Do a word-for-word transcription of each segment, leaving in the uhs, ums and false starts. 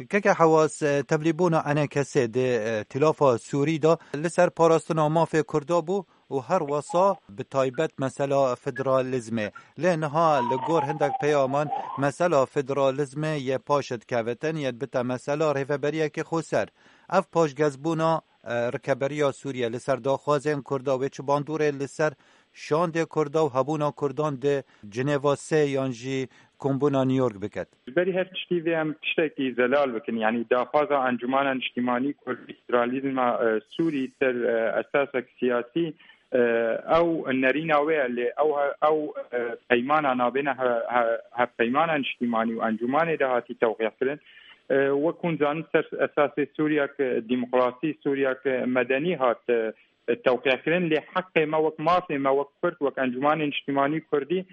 Keke Hewas, e, tevlîbûna enê kesê di, e, Tîlafa Sûrî de li ser parastina mafê Kurda bû û her wesa bi taybet mesela federalizmê. Lê niha li gor hindek peyaman mesela federalizmê yê paş dikevitin, yê dibite mesela rêveberiyekê xweser. Ev paşgezbûna, e, rikeberiya Sûriye li ser daxwazên Kurda wê çi bandorê li ser şandê Kurda û hebûna Kurdan di Cinêva sê yan jî kombûna New York biket? Ji berî her tiştî vê em tiştekî zelal bikin. Yanî daxwaza Encûmana Niştîmanî Kurdî federalîzma, e, Sûrî ser, e, esasek siyasî, e, ew nerîna wê ye, lê ew he-, ew, e, peymana navbêne he-, he-, hevpeymana niştîmanî û encûmanê de hatî tewqî kirin. E, wek hûn zanin ser esasê Sûriyek, e, demokrasî, Sûriyek, e, medenî hat, e, tewqî kirin, lê heqê me wek mafê me, wek Kurd, wek Encûmanê Niştîmanî Kurdî,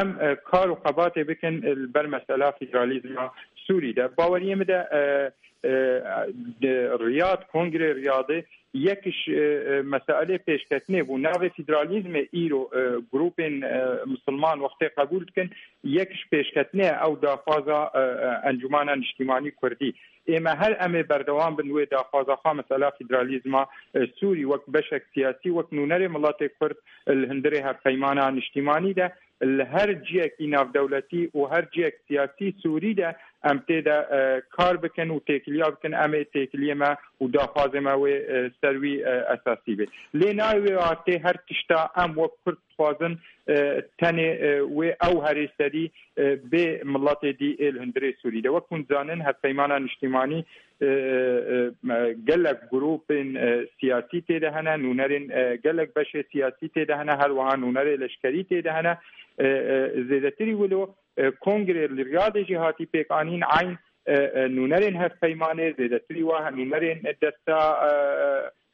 em, e, kar û xebatê bikin, e, li ber mesela federalîzma Sûrî de. Baweriyê min de, e, e, de Riyad, Kongrê Riyadê yek ji, e, e, meselê pêşketinê bû. Navê federalîzmê îro, e, grûpên, e, misilman wextê qebûl dikin, yek ji pêşketinê ye ew daxwaza, e, e, Encûmana Niştîmanî Kurdî. Ê me her em ê berdewam bin wê daxwaza xwe, mesela federalîzma, e, Sûrî wek beşek siyasî, wek nûnerê miletê Kurd, e, li hundirê hevpeymana niştîmanî de, li her ciyekî navdewletî û her ciyek siyasî Sûrî de em tê de, e, kar bikin û têkiliya bikin, em ê têkiliyê me û daxwazê me wê, e, ser wî, e, esasî bê. Lê nayê wê artê her tişta em wek Kurd dixwazin, e, tenê, e, wê ew herê serî, e, bê miletê dî ê li hundirê Sûrî de. Wek hûn dizanin, hevpeymana niştîmanî, e, e, e, gelek grûpên, e, siyasî tê de hene, nûnerên, e, gelek beşê siyasî tê de hene, her wiha nûnerê leşkerî tê de hene. E, e, zêdetirî wilo, e, kongrê li Riyadê jî hatî pêkanîn, eyn, e, e, nûnerên hevpeymanê, zêdetirî wa nûnerên desta,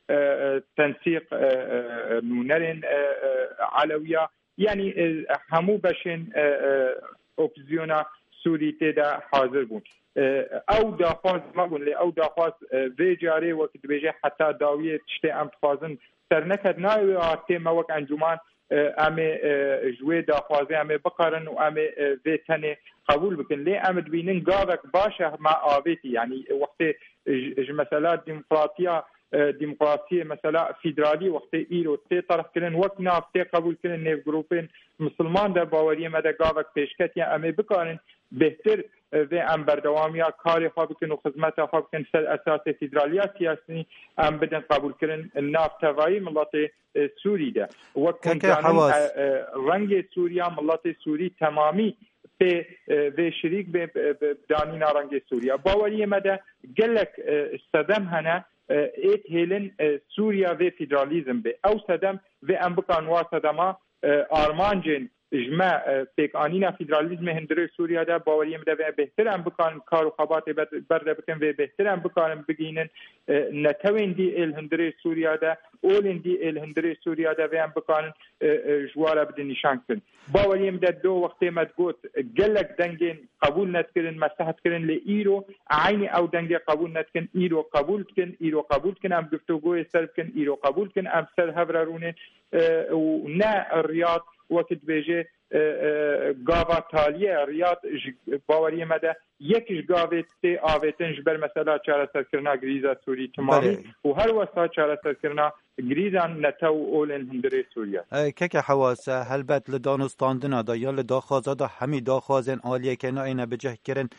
e, e, e, tensîq, e, e, e, nûnerên, e, e, Elewiya, yanî, e, hemû beşên, e, e, opozîsyona Sûrî tê de hazir bûn. E, ew daxwaz me bûn, lê ew daxwaz, e, vê carê wek dibêje heta dawiyê tiştê em dixwazin ser neket, nayê wê astê me wek encûman, e, em ê, e, ji wê daxwazê em ê biqerin û em ê, e, vê tenê qebûl bikin. Lê em dibînin gavek baş e me avêtî, yanî wextê ji, ji mesela demokratiya, e, demokrasiyê, mesela federalî wextê îro tê terhkirin, wek nav tê qebûlkirin nêv grûpên misilman de, baweriyê me de gavek pêşketiye, em ê bikarin bêhtir, e, vê em berdewamiya karê xwe bikin û xizmeta xwe bikin ser esasê federaliya siyasî, em bidin qebûlkirin nav tevayî miletê, e, Sûrî de. Wek hûn Keke dizanin, Hewas. e, e, rengê Sûriya, miletê Sûrî temamî pê, e, vê şirîk bê, e, bi danîna rengê Sûriya. Baweriyê me de gelek, e, sedem hene, e, ê dihêlin, e, Sûriya vê federalîzm bê. Ew sedem vê em bikan wa sedema, e, armancên ji me, e, pêkanîna federalîzmê hundirê Sûriya de, baweriyê min de vê bêhtir em bikarin kar û xebatê ber-, berde bikin, vê bêhtir em bikarin bigihînin, e, netewên dî ê li hundirê Sûriya de, olên dî ê li hundirê Sûriya de vê em bikarin, e, e, ji wa re bidin nîşan kirin. Baweriyê min de do wextê me digot, gelek dengên qebûl nedikirin, me seh dikirin, lê îro eynî ew dengê qebûl nedikin, îro qebûl dikin, îro qebûl dikin, em guftûgoyê ser bikin, îro qebûl dikin, em ser hev re rûnên, e, û ne Riyad wekî dibêje, e, e, gava taliyê ye. Riyad ji baweriyê me de yek ji gavê tê avêtin ji ber mesela çareserkirina grîza Sûrî timamî Belê. û her wesa çareserkirina grîzan netew û olên hundirê Sûriye. E, keke Hewas, e, helbet li danûstandina de ya li daxwaza de hemî daxwazên aliyekê nayêne bicihkirin.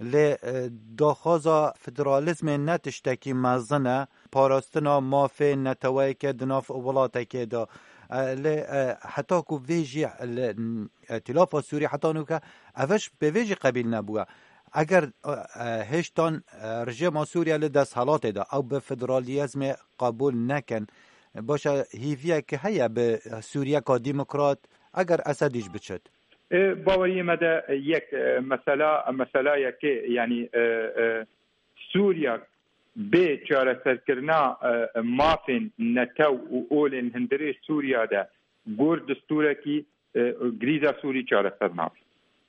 Lê, e, daxwaza federalîzmê ne tiştekî mezin e, parastina mafê neteweyeke di nav welatekê de. E, lê, e, heta ku vê jî li, e, Tîlafa Sûrî heta nûke ev ji pê vê jî qebîl nebûye. Eger, e, e, hêştan, e, rejîma Sûriye li desthilatê de ew bi federalîzmê qebûl nekin, baş e, hêviyek heye bi Sûriyeka demokrat, eger Esedî jî biçit? E, baweriyê me de yek, e, mesela, mesela yekê, yanî, e, e, Sûriya bê çareserkirina, e, mafên netew û olên hundirê Sûriya de gor distûrekî, e, grîza Sûrî çareser nabe.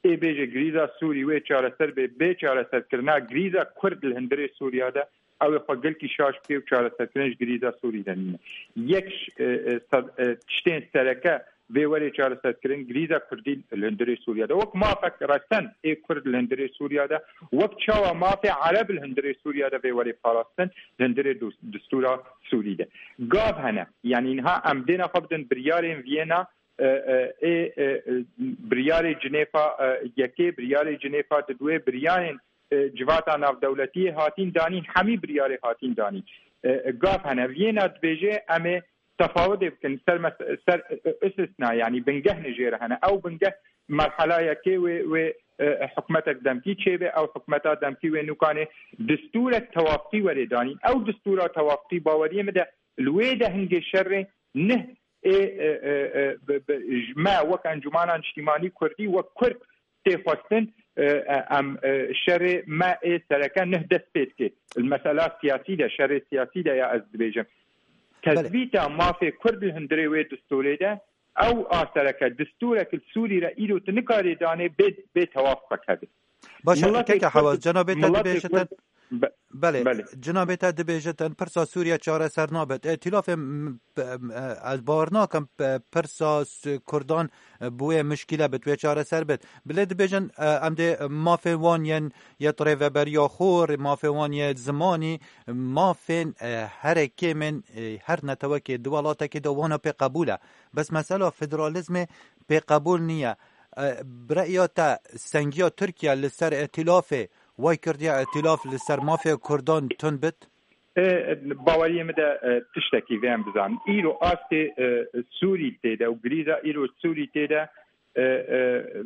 Ê bêje grîza Sûrî wê çareser bê, bê çareserkirina grîza Kurd li hundirê Sûriya de ew ê xwe gelkî şaş bike û çareserkirin ji grîza Sûrî de nîne. Yek ji, e, e, ser-, e, tiştên sereke vê werê çareserkirin, grîza Kurdî li hundirê Sûriya de, wek mafek resen ê Kurd li hundirê Sûriya de, wek çawa mafê Ereb li hundirê Sûriya de vê werê parastin, li hundirê dus-, distûra Sûrî de. Gav hene, yanî niha em dêna xwe bidin biryarên Viyena, e, e, ê, e, e, biryarê Cinêfa, e, yekê, biryarê Cinêfa diduwê, biryarên, e, civata navdewletiyê hatîn danîn, hemî biryarê hatîn danîn. E, e, gav hene. Viyena dibêje, em ê tefawidê bikin ser mes-, ser, e, e, istisna, yanî bingeh nijêre hene. Ew bingeh merhela yekê wê, wê, e, hikûmetek demkî çêbe, ew hikûmeta demkî wê nûkanê distûrek tewafqî werê danîn. Ew distûra tewafqî baweriyê min de li wê de hingê şerê nih ê, e, e, e, bi, bi, ji me wek Encûmana Niştîmanî Kurdî, wek Kurd tê xwestin, e, e, em, e, şerê me ê sereke nih dest pê dike. Li mesela siyasî de, şerê siyasî de ya ez dibêjim. Belê. Tezbîta mafê Kurd li hundirê wê distûrê de, ew a sereke distûrek li Sûrî re îro tu nikarê danê bê, bê tewaf xwe kevê. Baş e, Miletê keke Kurd, Hewaz, cenabê te miletê dibêje Kurd, te, be-, belê, belê. Cenabê te dibêje te pirsa Sûriye çareser nabit. Îtîlafê m-, p-, m-, e, ez bawer nakim, p-, pirsa s-, Kurdan, e, bi wê mişkîle bit, wê çareser bit. Bilê dibêjin, e, em dê mafên wan yên yê rêveberiya xwe, mafên wan yê zimanî, mafên, e, herê kêmên, e, her netewekê di welatekê de wana pê qebûl e. Bes mesela federalîzmê pê qebûl niye. E, bi reya te sengiya Tirkiye li ser îtîlafê, way kirdiye îtîlaf li ser mafê Kurdan tund bit? E, baweriyê min de, e, tiştekî vê em bizanin. Îro astê, e, Sûrî tê de û grîza îro Sûrî tê de, e, e,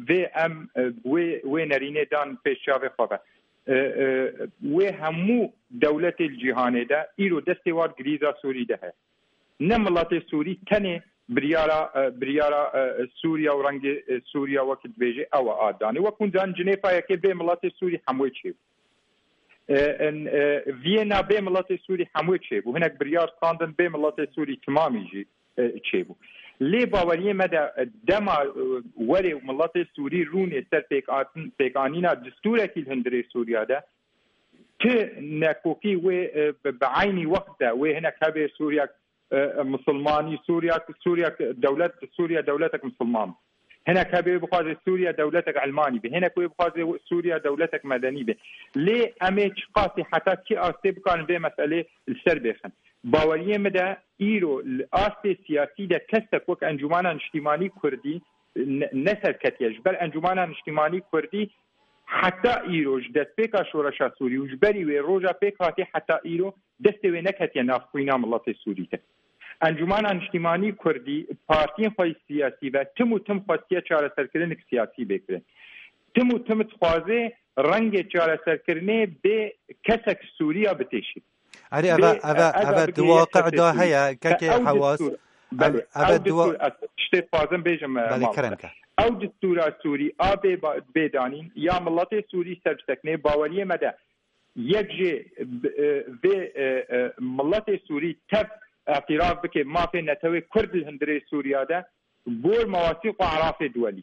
vê em, e, wê, wê nerînê dan pêş çavê xwe ve. E, e, wê hemû dewletê li cîhanê de îro destê wan grîza Sûrî de heye. Ne miletê Sûrî tenê biryara, e, biryara, e, Sûriya û rengê, e, Sûriya wekî dibêjê ew e a danê. Wek hûn zanin Cinêfa yekê bê miletê Sûrî hemûyê çêbû. E, en, e, Viyena bê miletê Sûrî hemûyê çêbû. Hinek biryar standin bê miletê Sûrî timamî jî, e, çêbû. Lê baweriyê me de, e, dema, e, werê û miletê Sûrî rûnê ser pêk atin-, pêkanîna distûrekî li hundirê Sûriya de, ti nekokî wê, e, bi, bi eynî wext de wê hinek hebe Sûriya, e, e, misilmanî, Sûriya, Sûriya dewlet, Sûriya dewletek misilman. Hinek hebe wê bixwaze Sûriya dewletek elmanî be. Hinek wê bixwaze Sûriya dewletek medenî be. Lê em ê çiqasî heta kî astê bikarin vê meselê li ser bêxin. Baweriyê min de îro li astê siyasî de kesek wek Encûmana Niştîmanî Kurdî ne, ne serketiye. Ji ber Encûmana Niştîmanî Kurdî heta îro ji destpêka şoreşa Sûrî û ji berî wê roja pêk hatî heta îro destê wê neketiye nav xwîna miletê Sûrî de. Encûmana Niştîmanî Kurdî partiyên xwe siyasî ve tim û tim xwestiye çareserkirinek siyasî bê kirin. Tim û tim dixwaze rengê çareserkirinê bê kesek Sûriya bitêşî. Erê, eve, Bê, eve, e, eve eve di bigihîye waqi kesê da Sûrî. Heye, Kekê Ew Hewaz. Distûr, belê, Ev, ev ev di wa-, distûr, ez tiştê dixwazim bêjim, e, Belê, mamoste. Kerem ke. Ew distûra Sûrî a bê ba-, bê danîn, ya miletê Sûrî ser biseknê, baweriyê me de yek jê, e, vê, e, e, miletê Sûrî tev îtîraf bike mafê netewê Kurd li hundirê Sûriya de, gor mewasîq û erafê duwelî.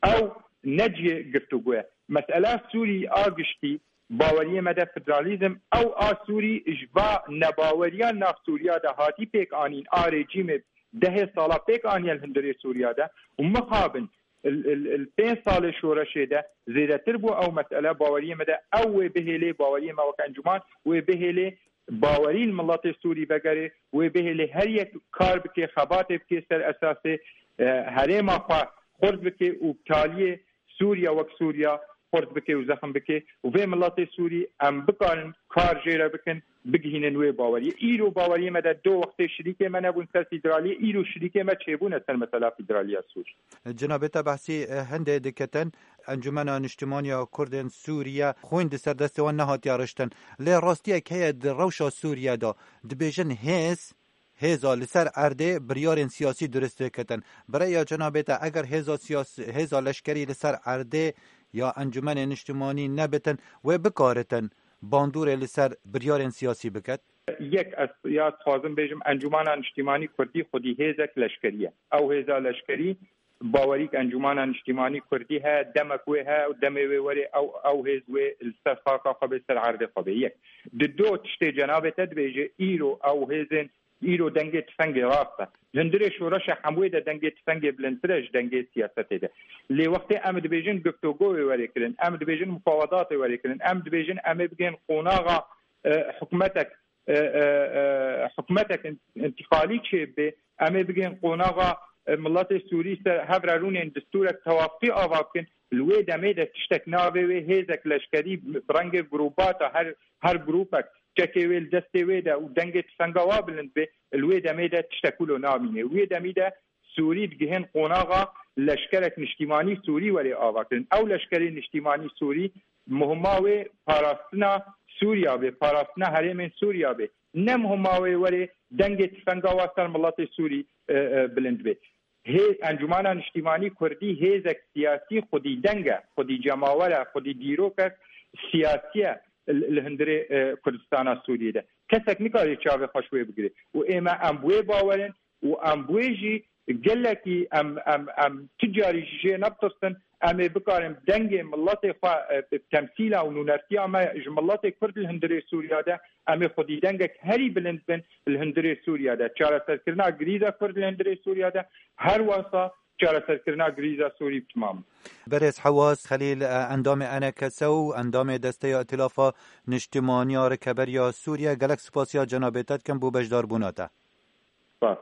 Ew ne cihê giftûgû ye. Mesela Sûrî a giştî, baweriyê me de federalîzm, ew a Sûrî ji va nebaweriya nav Sûriya de hatî pêk anîn, a rejîmê dehê sala pêk aniye li hundirê Sûriya de û mixabin li, li, li pênc salê şoreşê de zêdetir bû ew mesele, baweriyê me de ew wê bihêlê, baweriyê me wek encûman wê bihêlê, bawerî li miletê Sûrî vegerê, wê bihêlê her yek kar bike, xebatê bike ser esasê, e, herêma xwe xurt bike û bi taliyê Sûriya wek Sûriya xurt bike û zexm bike û vê miletê Sûrî em bikarin kar jê re bikin, bigihînin wê baweriyê. Îro baweriyê me de do wextê şirîkê me nebûn ser federaliyê, îro şirîkê me çêbûne ser mesela federaliya Sûrî. Cenabê te behsî, e, hindê diketin. Encûmena Niştimanî ya Kurdên Sûriye xwîn di ser destê wan nehatiye riştin. Lê rastiyek heye di rewşa Sûriye de. Dibêjin hêz, hêza li ser erdê biryarên siyasî dirust diketin. Bi reya cenabê te, eger hêza siyas-, hêza leşkerî li ser erdê ya Encûmenê Niştimanî nebitin, wê bikaritin bandorê li ser biryarên siyasî biket? Yek ez ya dixwazim bêjim, Encûmana Niştimanî Kurdî xwedî hêzek leşkerî ye. Ew hêza leşkerî bawerî ki Encûmana Niştîmanî Kurdî heye, demek wê heye û demê wê werê ew, ew hêz wê li ser xaka xwe bê, ser erdê xwe bê. Yek. Di do tiştê cenabê te dibêje, îro ew hêzên Îro dengê tifengê rast e. Li hundirê şoreşa hemûyê de dengê tifengê bilindtir e ji dengê siyasetê de. Lê wextê em dibêjin giftogoyê were kirin, em dibêjin mufawedatê were kirin, em dibêjin em ê bigên qonaxa, e, hikûmetek, e, e, e, hikûmetek in-, întîqalî çêbibe, em ê bigên qonaxa, e, miletê Sûrî ser hevrerûnên distûrek tewafqî ava bikin. Li wê demê de tiştek navê wê hêzek leşkerî bi rengê grûbata her, her grûpek çekê wê li destê wê de û dengê tifenga wa bilind be, li wê demê de tiştek wilo namîne. Wê demî de Sûrî digihên qonaxa leşkerek niştîmanî Sûrî were avakirin. Ew leşkerê niştîmanî Sûrî muhima wê parastina Sûriya be, parastina herêmên Sûriya be. Ne muhima wê were dengê tifenga wa ser miletê Sûrî, e, e, bilind be. Hê Encûmana Niştîmanî Kurdî hêzek siyasî xwedî deng e, xwedî cemawer e, xwedî dîrokek siyasî ye li, li hundirê, e, Kurdistana Sûriyê de. Kesek nikare çavê xwe ji wê bigire. Û ême em bi wê bawer in û em bi wê jî gelekî em, em, em ti carî ji jê nebitirsin, em ê bikarin dengê miletê xwe, e, bi temsîla û nûnertiya me ji miletê Kurd li hundirê Sûriya de, em ê xwedî dengek herî bilind bin li hundirê Sûriya de. Çareserkirina grîza Kurd li hundirê Sûriya de her wesa çareserkirina grîza Sûrî bi timam. Berêz Hewaz Xelîl, e, endamê E N K S û endamê Desteya Îtilafa Niştimaniya Rikeberiya Sûriye, gelek spasiya cenabê te dikim bo beşdarbûna te. Spas.